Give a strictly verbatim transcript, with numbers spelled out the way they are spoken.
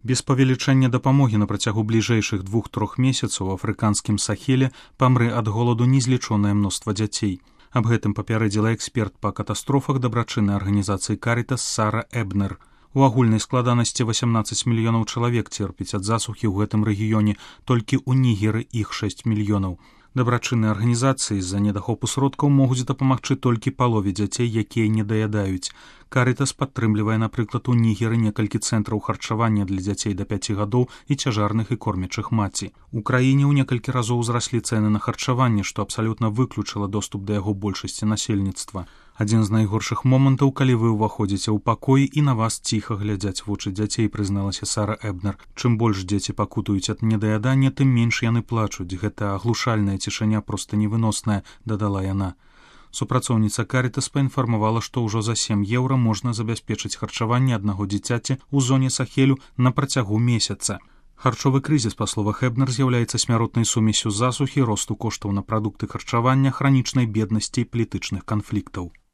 Без павелічэння дапамогі на працягу бліжэйшых двух-трох месяцаў у афрыканскім Сахеле памрэ ад голаду незлічонае мноства дзяцей. Аб гэтым папярэдзіла эксперт па катастрофах дабрачыннай арганізацыі Карітас Сара Эбнер. У агульнай складанасці васямнаццаць мільёнаў чалавек церпіць ад засухі ў гэтым рэгіёне, толькі ў Нігеры іх шэсць мільёнаў. Дабрачынныя арганізацыі з-за недахопу сродкаў могуць дапамагчы толькі палове дзяцей, якія не даядаюць. Карітас падтрымлівае, напрыклад, у Нігеры некалькі цэнтраў харчавання для дзяцей да пяці гадоў і цяжарных і кормячых маці. У краіне ў некалькі разоў узраслі цэны на харчаванне, што абсалютна выключыла доступ да яго большасці насельніцтва. Адзін з найгоршых момантаў, калі вы ўваходзіце ў пакой і на вас ціха глядзяць вочы дзяцей, прызналася Сара Эбнер. Чым больш дзеці пакутуюць ад недаядання, тым менш яны плачуць. Гэта аглушальная цішыня проста невыносная, дадала яна. Супрацоўніца Карітас паінфармавала, што ўжо за сем еўра можна забяспечыць харчаванне аднаго дзіцяці ў зоне Сахелю на працягу месяца. Харчовы крызіс, па словах Эбнер, з'яўляецца смяротнай сумесю засухі, росту коштаў на прадукты харчавання, хранічнай беднасці і палітычных канфліктаў.